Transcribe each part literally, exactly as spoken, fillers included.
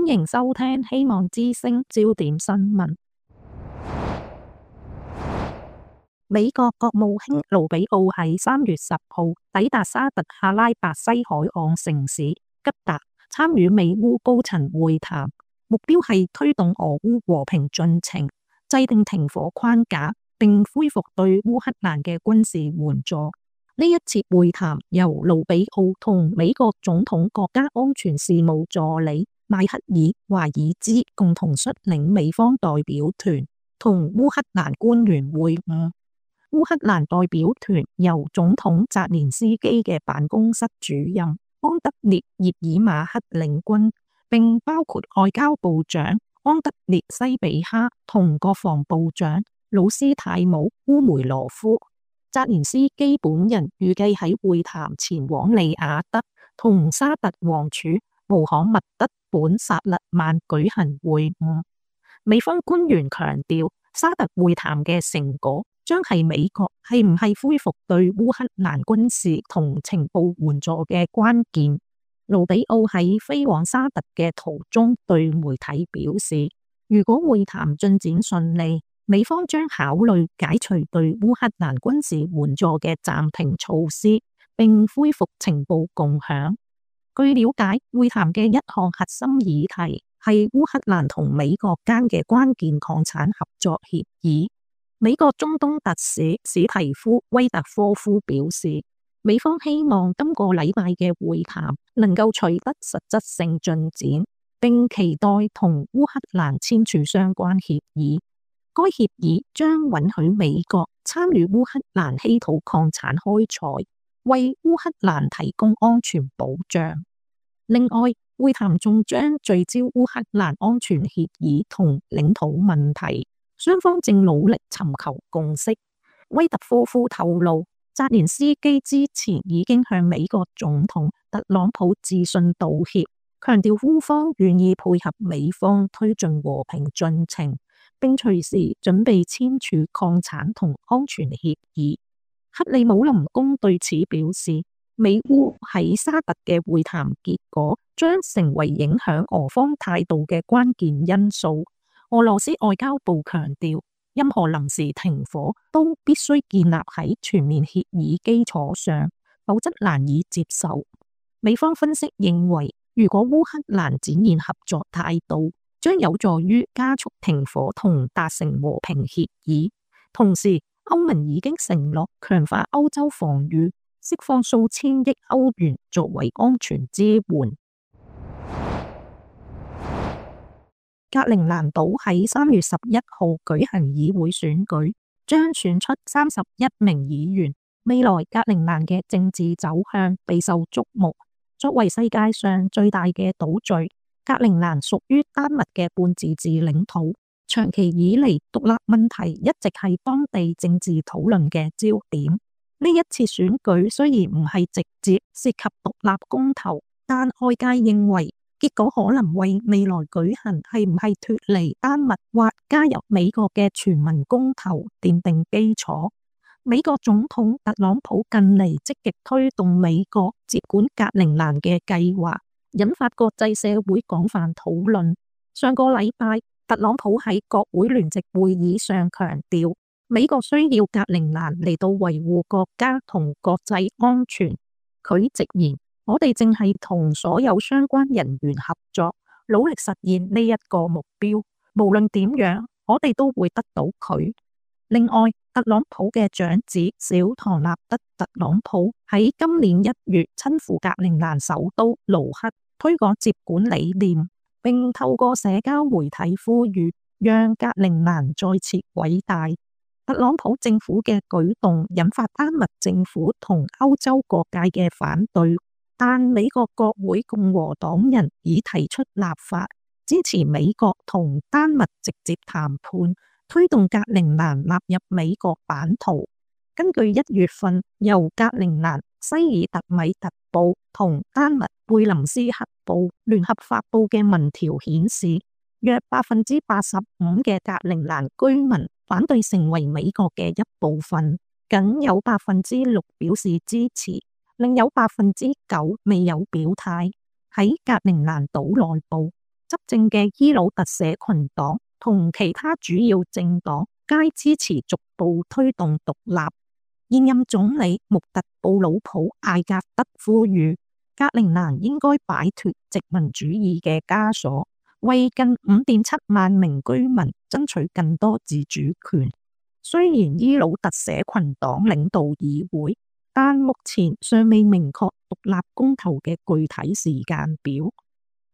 歡迎收聽希望之聲焦點新聞。美國國務卿盧比奧喺三月十號抵達沙特阿拉伯西海岸城市吉達，參與美烏高層會談，目標係推動俄烏和平進程，制定停火框架，並恢復對烏克蘭嘅軍事援助。呢一次會談由盧比奧同美國總統國家安全事務助理邁克爾華爾茲共同率領美方代表團同烏克蘭官員會晤。烏克蘭代表團由總統澤連斯基嘅辦公室主任安德烈葉爾馬克領軍，並包括外交部長安德烈西比哈同國防部長魯斯泰姆烏梅羅夫。澤連斯基本人預計喺會談前往利雅得同沙特王儲穆罕默德本薩勒曼舉行會晤。美方官員強調，沙特會談嘅成果將係美國係唔係恢復對烏克蘭軍事同情報援助嘅關鍵。盧比奧喺飛往沙特嘅途中對媒體表示，如果會談進展順利，美方將考慮解除對烏克蘭軍事援助嘅暫停措施，並恢復情報共享。據了解，會談嘅一項核心議題係烏克蘭同美國間嘅關鍵礦產合作協議。美國中東特使史提夫威特科夫表示，美方希望今個禮拜嘅會談能夠取得實質性進展，並期待同烏克蘭簽署相關協議。該協議將允許美國參與烏克蘭稀土礦產開採，為烏克蘭提供安全保障。另外，會談仲將聚焦烏克蘭安全協議同領土問題，雙方正努力尋求共識。威特科夫透露，澤連斯基之前已經向美國總統特朗普致信道歉，強調烏方願意配合美方推進和平進程，並隨時準備簽署礦產同安全協議。克里姆林宮對此表示，美烏喺沙特嘅會談結果將成為影響俄方態度嘅關鍵因素。俄羅斯外交部強調，任何臨時停火都必須建立喺全面協議基礎上，否則難以接受。美方分析認為，如果烏克蘭展現合作態度，將有助於加速停火同達成和平協議。同時，歐盟已經承諾強化歐洲防禦，釋放數千億歐元作為安全支援。格陵蘭島喺三月十一號舉行議會選舉，將選出三十一名議員。未來格陵蘭嘅政治走向備受矚目。作為世界上最大嘅島嶼，格陵蘭屬於丹麥嘅半自治領土，長期以嚟獨立問題一直係當地政治討論嘅焦點。呢一次選舉雖然唔係直接涉及獨立公投，但外界認為結果可能為未來舉行係唔係脫離丹麥或加入美國嘅全民公投奠定基礎。美國總統特朗普近嚟積極推動美國接管格陵蘭嘅計劃，引發國際社會廣泛討論。上個禮拜，特朗普喺國會聯席會議上強調，美國需要格陵蘭嚟到維護國家同國際安全。佢直言，我哋正係同所有相關人員合作，努力實現呢一個目標。無論點樣，我哋都會得到佢。另外，特朗普嘅長子小唐納德特朗普喺今年一月親赴格陵蘭首都盧克，推廣接管理念，並透過社交媒體呼籲讓格陵蘭再次偉大。特朗普政府嘅舉動引發丹麥政府同歐洲各界嘅反對，但美國國會共和黨人已提出立法，支持美國同丹麥直接談判，推動格陵蘭納入美國版圖。根據一月份由格陵蘭西爾特米特報同丹麥貝林斯克報聯合發佈嘅民調顯示，約百分之八十五嘅格陵蘭居民反對成為美國嘅一部分，僅有百分之六表示支持，另有百分之九未有表態。喺格陵蘭島內部，執政嘅伊魯特社群黨同其他主要政黨皆支持逐步推動獨立。現任總理穆特布魯普艾格德呼籲格陵蘭應該擺脫殖民主義嘅枷鎖，為近五點七萬名居民爭取更多自主權。雖然伊魯特社群黨領導議會，但目前尚未明確獨立公投嘅具體時間表。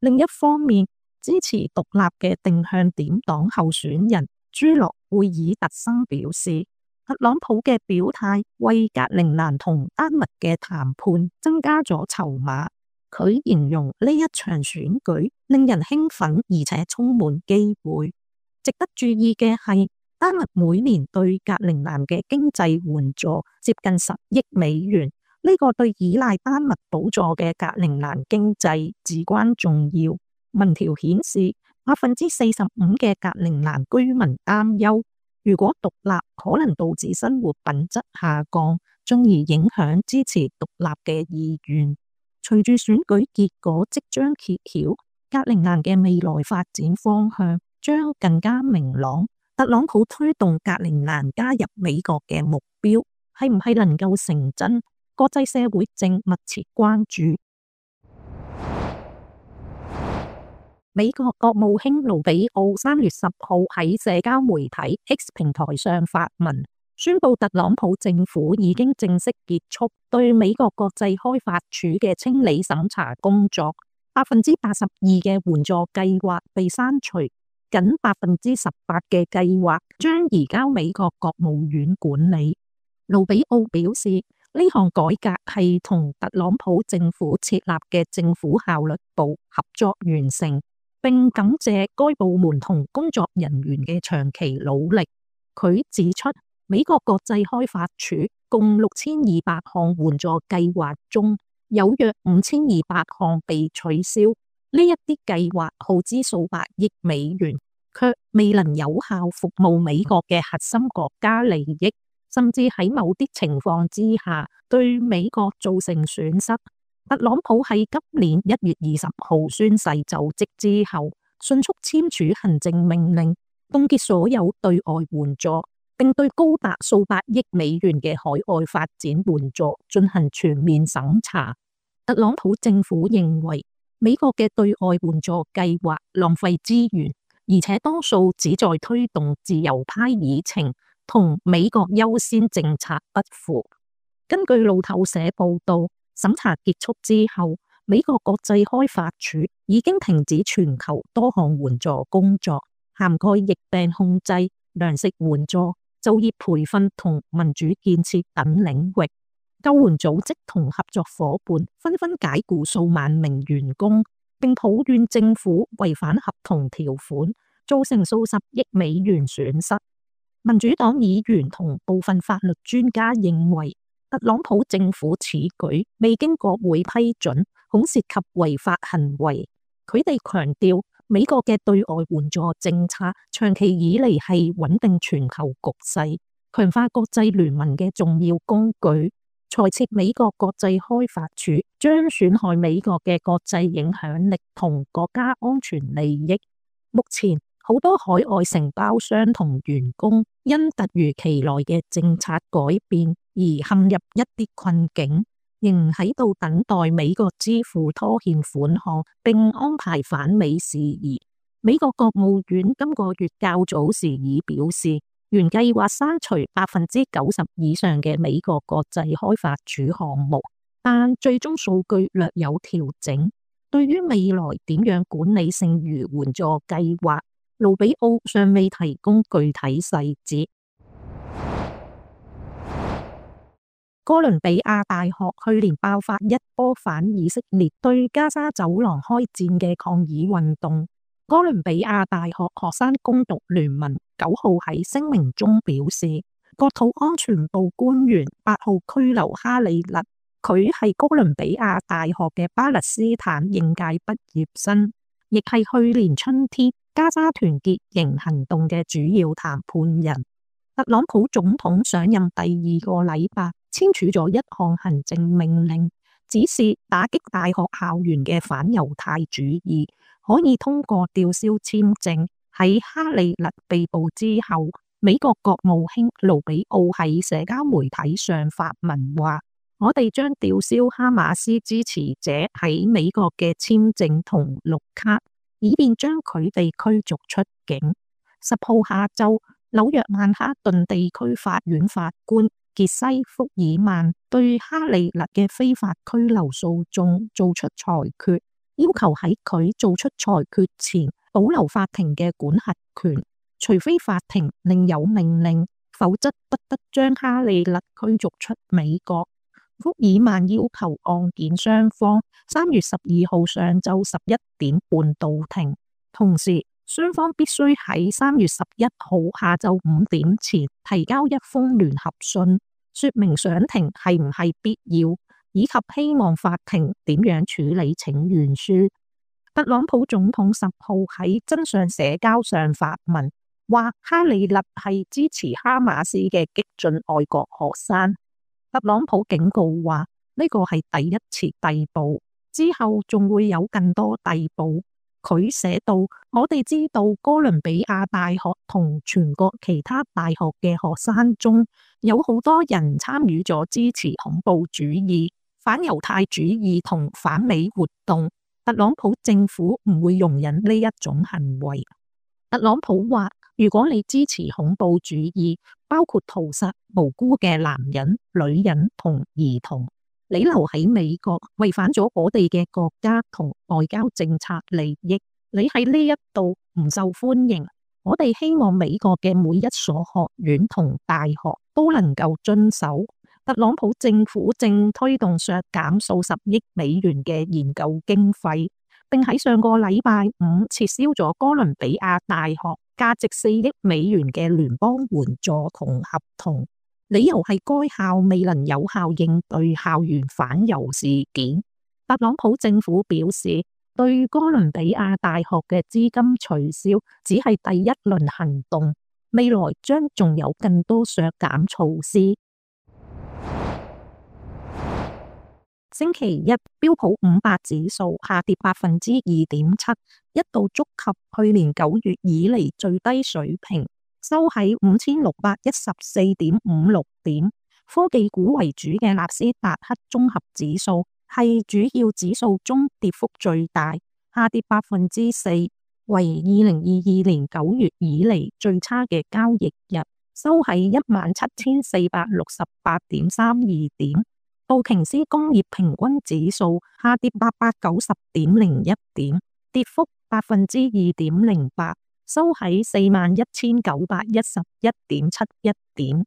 另一方面，支持獨立嘅定向點黨候選人朱諾貝爾特森表示，特朗普嘅表態為格陵蘭同丹麥嘅談判增加咗籌碼。佢形容呢一場選舉令人興奮，而且充滿機會。值得注意嘅係，丹麥每年對格陵蘭嘅經濟援助接近十億美元，呢、這個對依賴丹麥補助嘅格陵蘭經濟至關重要。民調顯示，百分之四十五嘅格陵蘭居民擔憂，如果獨立可能導致生活品質下降，進而影響支持獨立嘅意願。隨住選舉結果即將揭曉，格陵蘭嘅未來發展方向將更加明朗。特朗普推動格陵蘭加入美國嘅目標係唔係能夠成真？國際社會正密切關注。美國國務卿盧比奧三月十號喺社交媒體 X 平台上發文，宣布特朗普政府已經正式結束對美國國際開發署嘅清理審查工作，百分之八十二嘅援助計劃被刪除，僅百分之十八嘅計劃將移交美國國務院管理。盧比奧表示，呢項改革係同特朗普政府設立嘅政府效率部合作完成，並感謝該部門同工作人員嘅長期努力。佢指出，美國國際開發署共六千二百項援助計劃中，有約五千二百項被取消。呢一啲計劃耗資數百億美元，卻未能有效服務美國嘅核心國家利益，甚至喺某啲情況之下對美國造成損失。特朗普喺今年一月二十號宣誓就職之後，迅速簽署行政命令，凍結所有對外援助，並對高達數百億美元嘅海外發展援助進行全面審查。特朗普政府認為美國嘅對外援助計劃浪費資源，而且多數只在推動自由派議程，同美國優先政策不符。根據路透社報道，審查結束之後，美國國際開發署已經停止全球多項援助工作，涵蓋疫病控制、糧食援助、就業培訓同民主建設等領域。救援組織同合作夥伴紛紛解雇數萬名員工，並抱怨政府違反合同條款，造成數十億美元損失。民主黨議員同部分法律專家認為，特朗普政府此舉未經國會批准，恐涉及違法行為。佢哋強調，美國嘅對外援助政策長期以嚟係穩定全球局勢、強化國際聯盟嘅重要工具。裁撤美國國際開發署將損害美國嘅國際影響力同國家安全利益。目前，好多海外承包商同員工因突如其來嘅政策改變而陷入一啲困境，仍喺度等待美國支付拖欠款項並安排返美事宜。美國國務院今個月較早時已表示，原計劃刪除百分之九十以上嘅美國國際開發署項目，但最終數據略有調整。對於未來點樣管理剩餘援助計劃，盧比奧尚未提供具體細節。哥倫比亞大學去年爆發一波反以色列對加沙走廊開戰嘅抗議運動。哥倫比亞大學學生攻讀聯盟九號喺聲明中表示，國土安全部官員八號拘留哈里勒，佢係哥倫比亞大學嘅巴勒斯坦應屆畢業生，亦係去年春天加沙團結營行動嘅主要談判人。特朗普總統上任第二個禮拜簽署咗一項行政命令，指示打擊大學校園嘅反猶太主義，可以通過吊銷簽證。喺哈利勒被捕之後，美國國務卿盧比奧喺社交媒體上發文話：我哋將吊銷哈馬斯支持者喺美國嘅簽證同綠卡，以便將佢哋驅逐出境。十號下晝，紐約曼哈頓地區法院法官傑西福爾曼對哈利勒嘅非法拘留訴訟做出裁決，要求喺佢做出裁決前保留法庭嘅管轄權，除非法庭另有命令，否則不得將哈利勒驅逐出美國。福爾曼要求案件雙方三月十二號上晝十一點半到庭，同時雙方必須喺三月十一號下晝五點前提交一封聯合信，說明上庭係唔係必要，以及希望法庭點樣處理請願書。特朗普總統十號喺真相社交上發文，話哈利勒係支持哈馬斯嘅激進愛國學生。特朗普警告話呢個係第一次逮捕，之後仲會有更多逮捕。佢寫道：我哋知道哥倫比亞大學同全國其他大學嘅學生中有好多人參與咗支持恐怖主義、反猶太主義同反美活動。特朗普政府唔會容忍呢一種行為。特朗普話：如果你支持恐怖主義，包括屠殺無辜嘅男人、女人同兒童，你留喺美國違反咗我哋嘅國家同外交政策利益，你喺呢一度唔受歡迎。我哋希望美國嘅每一所學院同大學都能夠遵守。特朗普政府正推動削減數十億美元嘅研究經費，並喺上個禮拜五撤銷咗哥倫比亞大學價值四億美元嘅聯邦援助同合同，理由係該校未能有效應對校園反猶事件。特朗普政府表示，對哥倫比亞大學嘅資金取消只係第一輪行動，未來將仲有更多削減措施。星期一，標普五百指數下跌百分之二點七，一度觸及去年九月以嚟最低水平，收喺五千六百一十四點五六點。科技股為主嘅納斯達克綜合指數係主要指數中跌幅最大，下跌百分之四，為二零二二年九月以嚟最差嘅交易日，收喺一萬七千四百六十八點三二點。道瓊斯工業平均指數下跌八百九十點零一點，跌幅百分之二點零八，收喺四萬一千九百一十一點七一點。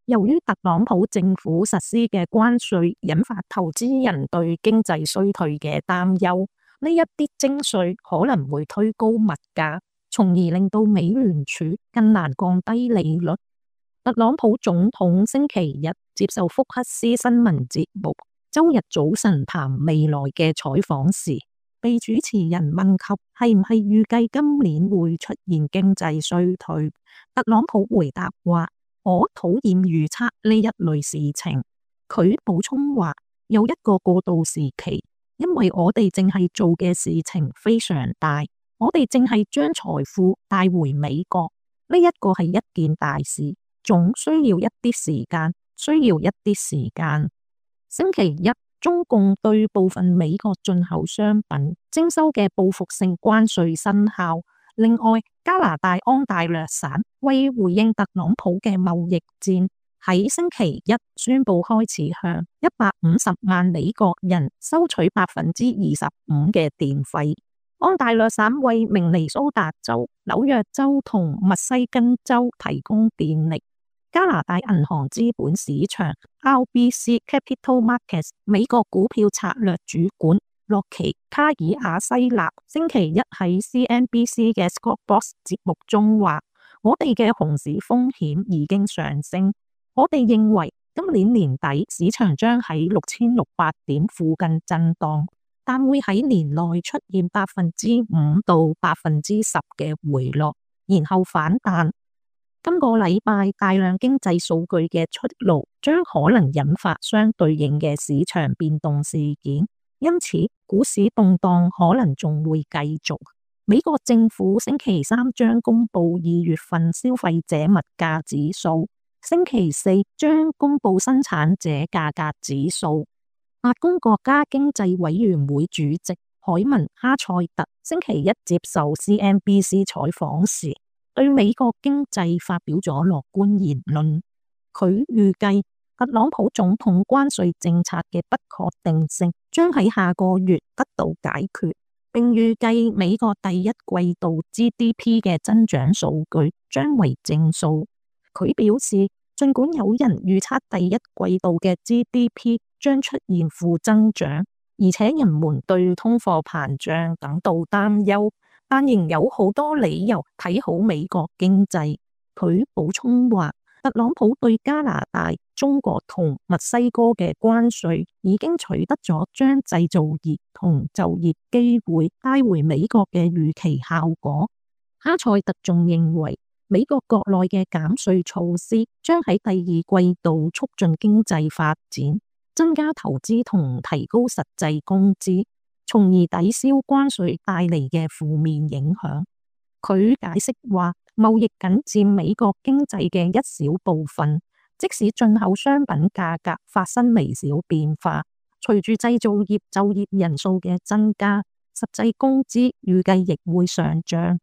由於特朗普政府實施嘅關稅引發投資人對經濟衰退嘅擔憂，呢一啲徵稅可能會推高物價，從而令到美聯儲更難降低利率。特朗普總統星期日接受福克斯新聞節目周日早晨談未來嘅採訪時，被主持人問及係唔係預計今年會出現經濟衰退，特朗普回答話：我討厭預測呢一類事情。佢補充話：有一個過渡時期，因為我哋淨係做嘅事情非常大，我哋淨係將財富帶回美國，呢一個係一件大事。總需要一啲時間，需要一啲時間。星期一，中共對部分美國進口商品徵收嘅報復性關稅生效。另外，加拿大安大略省為回應特朗普嘅貿易戰，喺星期一宣布開始向一百五十萬美國人收取百分之二十五嘅電費。安大略省為明尼蘇達州、紐約州同密西根州提供電力。加拿大銀行資本市場 R B C Capital Markets 美國股票策略主管洛奇卡爾亞西納星期一喺 C N B C 嘅 Squawk Box 節目中話：我哋嘅熊市風險已經上升，我哋認為今年年底市場將喺六千六百點附近震盪，但會喺年內出現百分之五到百分之十嘅回落，然後反彈。今個禮拜大量經濟數據嘅出爐，將可能引發相對應嘅市場變動事件，因此股市動盪可能仲會繼續。美國政府星期三將公布二月份消費者物價指數，星期四將公布生產者價格指數。白宮國家經濟委員會主席凱文哈塞特星期一接受 C N B C 採訪時，對美國經濟發表咗樂觀言論。佢預計特朗普總統關稅政策嘅不確定性將喺下個月得到解決，並預計美國第一季度 G D P 嘅增長數據將為正數。佢表示，儘管有人預測第一季度嘅 G D P 將出現負增長，而且人們對通貨膨脹感到擔憂，但仍有好多理由睇好美國經濟。佢補充話，特朗普對加拿大、中國同墨西哥嘅關稅已經取得咗將製造業同就業機會帶回美國嘅預期效果。哈塞特仲認為，美國國內嘅減稅措施將喺第二季度促進經濟發展，增加投資同提高實際工資，從而抵消關稅帶嚟嘅負面影響。佢解釋話，貿易僅佔美國經濟嘅一小部分，即使進口商品價格發生微小變化，隨住製造業就業人數嘅增加，實際工資預計亦會上漲。